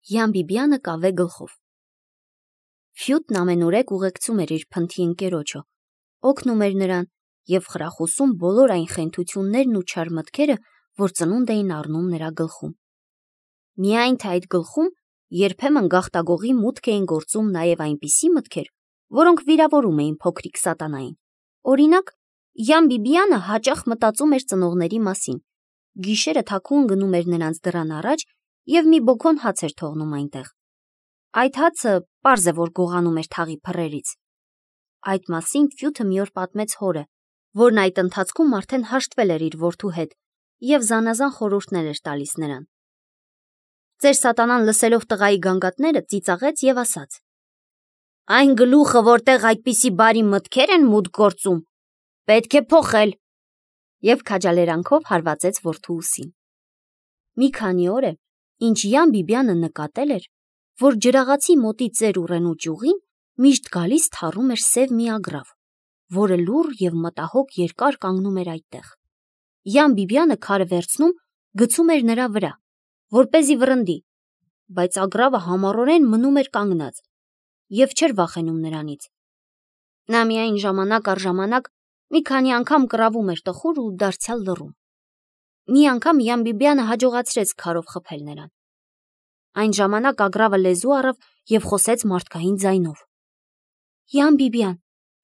Յան Բիբյանը կավե գլխով։ Ֆյուտն ամենուրեք ուղեկցում էր իր փնթի ընկերոջը, օգնում էր նրան և խրախուսում բոլոր այն խենթություններն ու չար մտքերը, որ ծնունդ էին առնում նրա գլխում։ Միայն թե այդ գլխում երբեմն գաղտագողի մուտք էին գործում նաև այնպիսի մտքեր, որոնք վիրավորում էին փոքրիկ սատանային։ Օրինակ, Յան Բիբյանը հաճախ մտածում էր ծնողների մասին, գիշերը թաքուն գնում էր նրանց դռան առաջ և մի բոքոն հաց էր թողնում այնտեղ։ Այդ հացը պարզ է, որ գողանում էր թաղի փռերից։ Այդ մասին Ֆյութը մի օր պատմեց հորը, որն այդ ընթացքում արդեն հաշտվել էր իր որդու հետ և զանազան խորհուրդներ էր տալիս նրան։ Ձեր սատանան լսելով տղայի գանգատները ծիծաղեց և ասաց. «Այն գլուխը, որտեղ այդպիսի բարի մտքեր են մուտք գործում, պետք է փոխել», և քաջալերանքով հարվածեց որդու ուսին։ Մի քանի օր է, ինչ Յան Բիբյանը նկատել էր, որ ջրաղացի մոտի ծեր ուռենու ճյուղին միշտ գալիս թառում էր սև մի ագռավ, որը լուռ և մտահոգ երկար կանգնում էր այդտեղ։ Յան Բիբյանը քարը վերցնում գցում էր նրա վրա, որպեսզի վռնդի, բայց ագռավը համառորեն մնում էր կանգնած և չէր վախենում նրանից։ Նա միայն ժամանակ առ ժամանակ մի քանի անգամ կռավում էր տխուր ու դարձյալ լռում։ Մի անգամ Յան Բիբյանը հաջողացրեց քարով խփել նրան։ Այն ժամանակ ագռավը լեզու առավ և խոսեց մարդկային ձայնով. «Յան Բիբյան,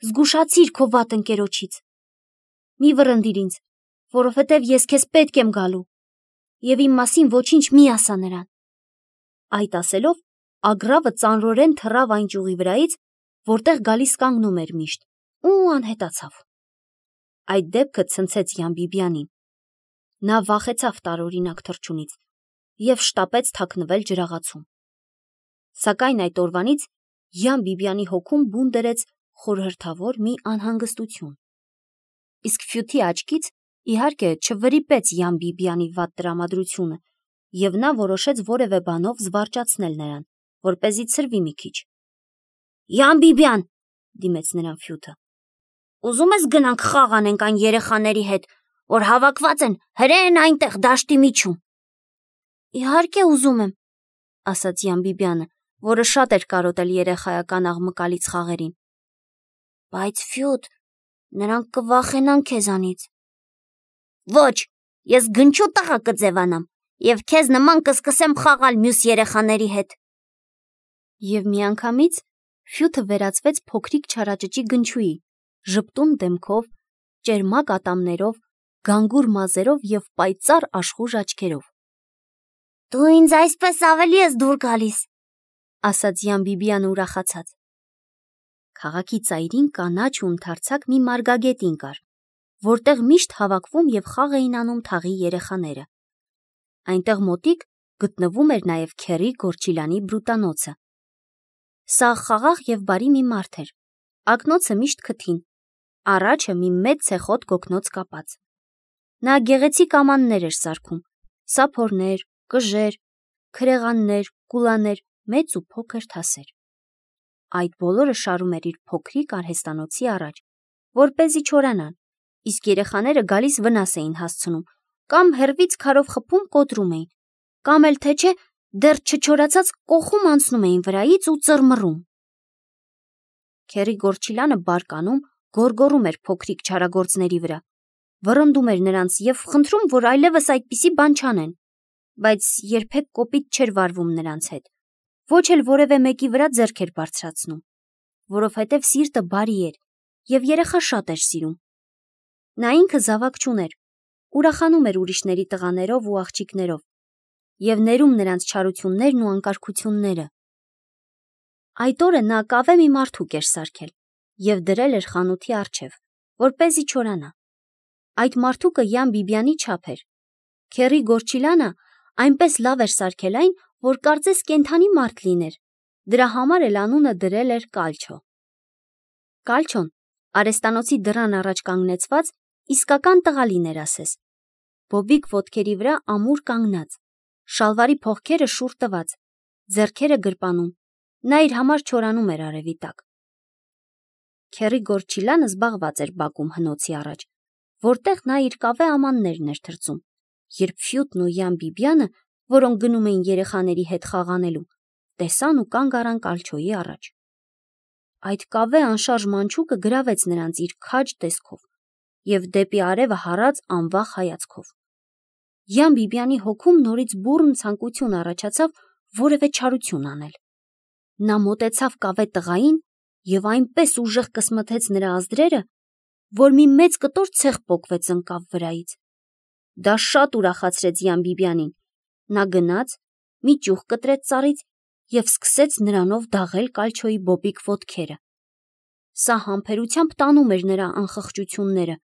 զգուշացիր քո վատ ընկերոջից։ Մի վռնդիր ինձ, որովհետև ես քեզ պետք եմ գալու, և իմ մասին ոչինչ մի ասա նրան»։ Այդ ասելով ագռավը ծանրորեն թռավ այն ճյուղի վրայից, որտեղ գալիս կանգնում էր միշտ, ու անհետացավ։ Այդ դեպքը ցնցեց Յան Բիբյանին։ Նա վախեցավ տարօրինակ թռչունից և շտապեց թաքնվել ջրաղացում։ Սակայն այդ օրվանից Յան Բիբյանի հոգում բուն դրեց խորհրդավոր մի անհանգստություն։ Իսկ Ֆյութի աչքից, իհարկե, չվրիպեց Յան Բիբյանի վատ տրամադրությունը, և նա որոշեց որևէ բանով զվարճացնել նրան, որպեսզի ցրվի մի քիչ։ «Յան Բիբյան», դիմեց նրան Ֆյութը, «ուզում ես գնանք խաղ անենք այն երեխաների հետ, որ հավաքված են հրեն այնտեղ դաշտի միջում»։ «Իհարկե ուզում եմ», ասաց Յան Բիբյանը, որը շատ էր կարոտել երեխայական աղմկալից խաղերին։ «Բայց Ֆյութ, նրանք կվախենան քեզանից»։ «Ոչ, ես գնչու տղա կձևանամ և քեզ նման կսկսեմ խաղալ մյուս երեխաների հետ»։ Եվ միանգամից Ֆյութը վերածվեց փոքրիկ չարաճճի գնչուի, ժպտուն դեմքով, ճերմակ ատամներով, գանգուր մազերով և պայծառ աշխույժ աչքերով։ «Դու ինձ այսպես ավելի ես դուր գալիս», ասաց Յան Բիբյանը ուրախացած։ Քաղաքի ծայրին կանաչ ու ընդարձակ մի մարգագետին կար, որտեղ միշտ հավաքվում և խաղ էին անում թաղի երեխաները։ Այնտեղ մոտիկ գտնվում էր նաև Քերի Գորջիլյանի բրուտանոցը։ Սաղ խաղաղ և բարի մի մարդ էր, ակնոցը միշտ քթին, առաջը մի մեծ ցեխոտ գոգնոց կապած։ Նա գեղեցիկ ամաններ էր սարքում՝ սափորներ, կժեր, քրեղաններ, կուլաներ, մեծ ու փոքր թասեր։ Այդ բոլորը շարում էր իր փոքրիկ արհեստանոցի առաջ, որպեսզի չորանան, իսկ երեխաները գալիս վնաս էին հասցնում, կամ հեռվից քարով խփում կոտրում էին, կամ էլ թե չէ դեռ չչորացած կոխում անցնում էին վրայից ու ծռմռում։ Քերի Գորջիլյանը բարկանում, գոռգոռում էր փոքրիկ չարագործների վրա, վռնդում էր նրանց և խնդրում, որ այլևս այդպիսի բան չանեն, բայց երբեք կոպիտ չէր վարվում նրանց հետ, ոչ էլ որևէ մեկի վրա ձեռք էր բարձրացնում, որովհետև սիրտը բարի էր և երեխա շատ էր սիրում։ Նա ինքը զավակ չուներ, ուրախանում էր ուրիշների տղաներով ու աղջիկներով և ներում նրանց չարություններն ու անկարգությունները։ Այդ օրը նա կավե մի մարդուկ էր սարքել և դրել էր խանութի առջև, որպեսզի չորանա։ Այդ մարդուկը Յան Բիբյանի չափ էր։ Քերի Գորջիլյանը այնպես լավ էր սարքել այն, որ կարծես կենդանի մարդ լիներ, դրա համար էլ անունը դրել էր Կալչո։ Կալչոն արհեստանոցի դռան առաջ կանգնեցված իսկական տղալին էր ասես, բոբիկ ոտքերի վրա ամուր կանգնած, շալվարի փողքերը շուռ տված, ձեռքերը գրպանում, նա իր համար չորանում էր արևի տակ։ Քերի Գորջիլյանը զբաղված էր բակում հնոցի առաջ, որտեղ նա իր կավե ամաններն էր թրծում, երբ Ֆյութն ու Յան Բիբյանը, որոնք գնում էին երեխաների հետ խաղ անելու, տեսան ու կանգ առան կալչոյի առաջ։ Այդ կավե անշարժ մանչուկը գրավեց նրանց իր քաջ տեսքով և դեպի արևը հառած անվախ հայացքով։ Յան Բիբյանի հոգում նորից բուռն ցանկություն առաջացավ որևէ չարություն անել։ Նա մոտեցավ կավե տղային և այնպես ուժեղ կսմթեց նրա ազդրերը, որ մի մեծ կտոր ցեխ պոկվեց ընկավ վրայից։ Դա շատ ուրախացրեց Յան Բիբյանին։ Նա գնաց, մի ճյուղ կտրեց ծառից և սկսեց նրանով դաղել կալչոյի բոբիկ ոտքերը։ Սա համբերությամբ տանում էր նրա անխղճությունները։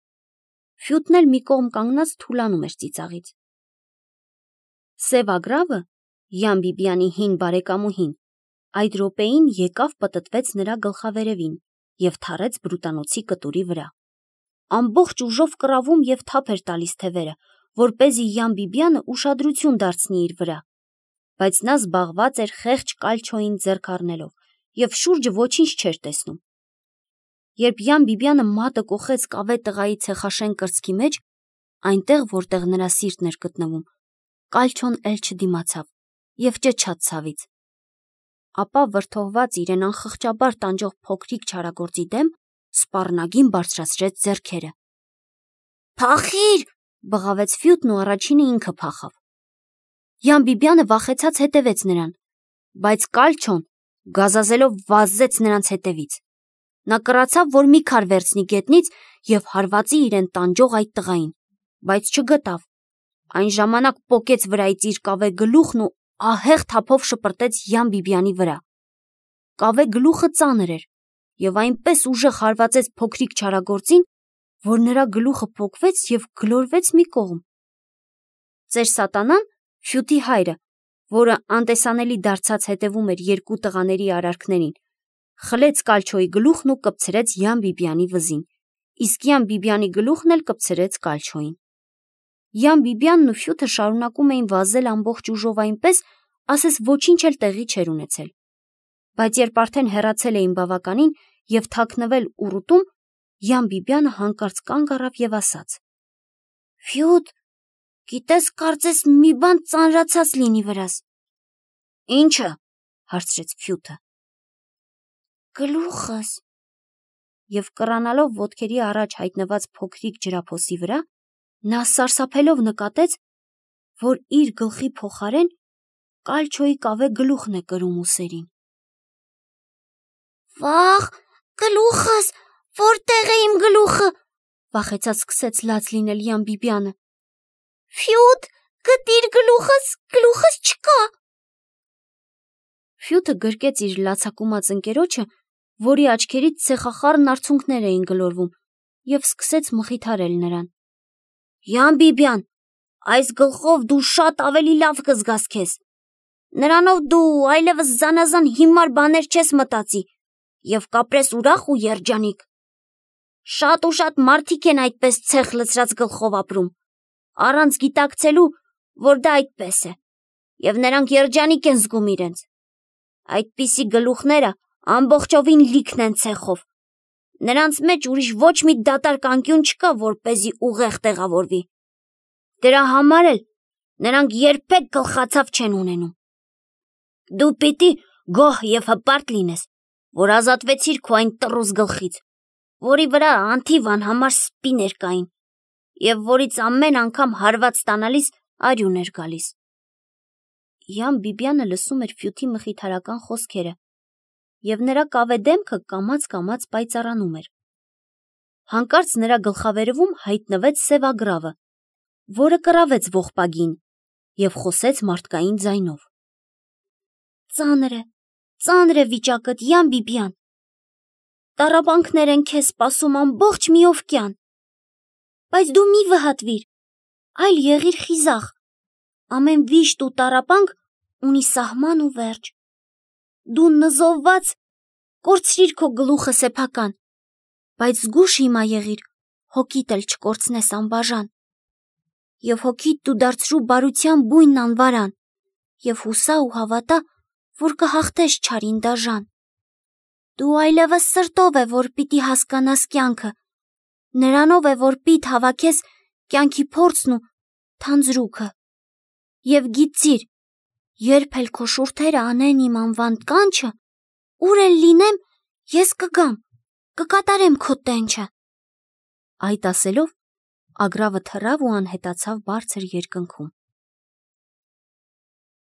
Ֆյութն էլ մի կողմ կանգնած թուլանում էր ծիծաղից։ Սև ագռավը, Յան Բիբյանի հին բարեկամուհին, այդ րոպեին եկավ պտտվեց նրա գլխավերևին և թռեց բրուտանոցի կտուրի վրա։ Ամբողջ ուժով կռավում և թափ էր տալիս թևերը, որպեսզի Յան Բիբյանը ուշադրություն դարձնի իր վրա, բայց նա զբաղված էր խեղճ կալչոյին ձեռք առնելով և շուրջը ոչինչ չէր տեսնում։ Երբ Յան Բիբյանը մատը կոխեց կավե տղայի ցեխաշեն կրծքի մեջ, այնտեղ, որտեղ նրա սիրտն էր գտնվում, կալչոն էլ չդիմացավ և ճչաց ցավից։ Ապա վրդովված իրեն անխղճաբար տանջող փոքրիկ չարագործի դեմ, սպառնագին բարձրացրեց ձեռքերը։ «Փախի՛ր», բղավեց Ֆյութն ու առաջինը ինքը փախավ։ Յան Բիբյանը վախեցած հետևեց նրան, բայց կալչոն գազազելով վազեց նրանց հետևից։ Նա կռացավ, որ մի քար վերցնի գետնից և հարվածի իրեն տանջող այդ տղային, բայց չգտավ։ Այն ժամանակ պոկեց վրայից իր կավե գլուխն ու ահեղ թափով շպրտեց Յան Բիբյանի վրա։ Կավե գլուխը ծանր էր և այնպես ուժեղ հարվածեց փոքրիկ չարագործին, որ նրա գլուխը պոկվեց և գլորվեց մի կողմ։ Ծեր Սատանան, Ֆյութի հայրը, որը անտեսանելի դարձած հետևում էր երկու տղաների արարքներին, խլեց կալչոյի գլուխն ու կպցրեց Յան Բիբյանի վզին, իսկ Յան Բիբյանի գլուխն էլ կպցրեց կալչոյին։ Յան Բիբյանն ու Ֆյութը շարունակում էին վազել ամբողջ ուժով այնպես, ասես ոչինչ էլ տեղի չէր ունեցել։ Բայց երբ արդեն հեռացել էին բավականին և թաքնվել ուռուտում, Յան Բիբյանը հանկարծ կանգ առավ և ասաց. «Ֆյութ, գիտես, կարծես մի բան ծանրացած լինի վրաս»։ «Ի՞նչը», հարցրեց Ֆյութը։ «Գլուխս»։ Եվ կռանալով ոտքերի առաջ հայտնված փոքրիկ ջրափոսի վրա, նա սարսափելով նկատեց, որ իր գլխի փոխարեն կալչոյի կավե գլուխն է կրում ուսերին։ «Վա՜խ, գլուխս, որտե՞ղ է իմ գլուխը», վախեցած սկսեց լաց լինել Յան Բիբյանը։ «Ֆյութ, գտիր գլուխս, գլուխս չկա»։ Ֆյութը գրկեց իր լացակումած ընկերոջը, որի աչքերից ցեխախառն արցունքներ էին գլորվում, և սկսեց մխիթարել նրան։ «Յան Բիբյան, այս գլխով դու շատ ավելի լավ կզգաս քեզ։ Նրանով դու այլևս զանազան հիմար բաներ չես մտածի և կապրես ուրախ ու երջանիկ։ Շատ ու շատ մարդիկ են այդպես ցեխ լցրած գլխով ապրում, առանց գիտակցելու, որ դա այդպես է, և նրանք երջանիկ են զգում իրենց։ Այդպիսի գլուխները ամբողջովին լիքն են ցեխով։ Նրանց մեջ ուրիշ ոչ մի դատարկ անկյուն չկա, որպեսզի ուղեղ տեղավորվի։ Դրա համար էլ նրանք երբեք գլխացավ չեն ունենում։ Դու պիտի գոհ և հպարտ լինես, որ ազատվեցիր քո այն տռուզ գլխից, որի վրա անթիվ անհամար սպիներ կային, և որից ամեն անգամ հարված ստանալիս արյուն էր գալիս։ Յան Բիբյանը լսում էր Ֆյութի մխիթարական խոսքերը, և նրա կավե դեմքը կամաց-կամաց պայծառանում էր։ Հանկարծ նրա գլխավերևում հայտնվեց սև ագռավը, որը կռավեց ողբագին և խոսեց մարդկային ձայնով. «Ծանր է վիճակդ, Յան Բիբյան։ Տառապանքներ են քեզ սպասում ամբողջ մի օվկիան։ Բայց դու մի վհատվիր, այլ եղիր խիզախ։ Ամեն վիշտ ու տառապանք ունի սահման ու վերջ։ Դու նզովված կորցրիր քո գլուխը սեփական, բայց զգույշ հիմա եղիր, հոգիդ էլ չկորցնես անբաժան։ Եվ հոգիդ դու դարձրու բարության բույնն անվարան, և հուսա ու հավատա, որ կհաղթես չարին դաժան։ Դու այլևս սրտով է, որ պիտի հասկանաս կյանքը, նրանով է, որ պիտ հավաքես կյանքի փորձն ու թանձրուքը։ Եվ գիտիր, Երբ էլ քո շուրթերը անեն իմ անվան կանչը, ուր էլ լինեմ, ես կգամ, կկատարեմ քո տենչը։ Այդ ասելով Ագրավը թռավ ու անհետացավ բարձր երկնքում։